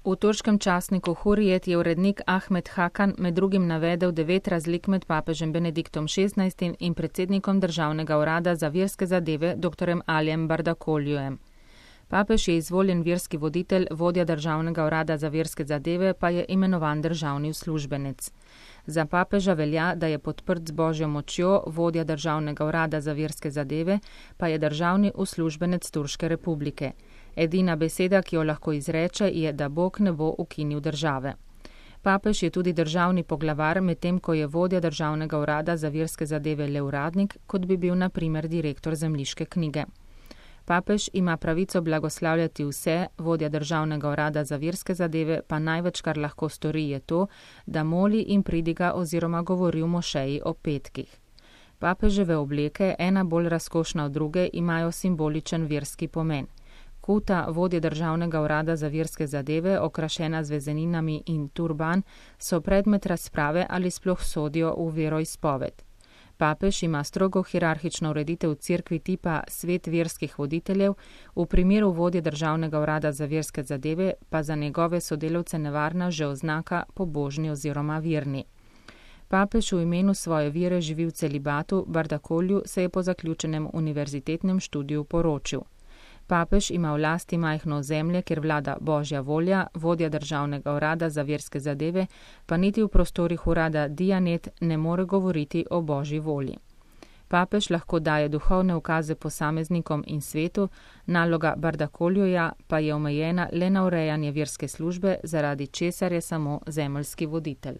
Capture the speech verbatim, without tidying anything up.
V turškem časniku Hurrijet je urednik Ahmed Hakan med drugim navedel devet razlik med papežem Benediktom šestnajstim in predsednikom Državnega urada za verske zadeve dr. Alijem Bardakoljujem. Papež je izvoljen verski voditelj, vodja Državnega urada za verske zadeve pa je imenovan državni uslužbenec. Za papeža velja, da je podprt z božjo močjo, vodja Državnega urada za verske zadeve pa je državni uslužbenec Turške republike. Edina beseda, ki jo lahko izreče, je, da Bog ne bo ukinil države. Papež je tudi državni poglavar, medtem ko je vodja Državnega urada za verske zadeve le uradnik, kot bi bil na primer direktor zemljiške knjige. Papež ima pravico blagoslavljati vse, vodja Državnega urada za verske zadeve pa največ, kar lahko stori, je to, da moli in pridiga oziroma govori v mošeji o petkih. Papeževe obleke, ena bolj razkošna od druge, imajo simboličen verski pomen. Kuta, vodje Državnega urada za verske zadeve, okrašena z vezeninami in turban, so predmet razprave ali sploh sodijo v veroizpoved. Papež ima strogo hierarhično ureditev v cerkvi tipa svet verskih voditeljev, v primeru vodje Državnega urada za verske zadeve pa za njegove sodelavce nevarna že oznaka pobožni oziroma verni. Papež v imenu svoje vere živi v celibatu, Bardakolju se je po zaključenem univerzitetnem študiju poročil. Papež ima v lasti majhno ozemlje, kjer vlada božja volja, vodja Državnega urada za verske zadeve, pa niti v prostorih urada Dianet ne more govoriti o božji volji. Papež lahko daje duhovne ukaze posameznikom in svetu, naloga Bardakoljuja pa je omejena le na urejanje verske službe, zaradi česar je samo zemeljski voditelj.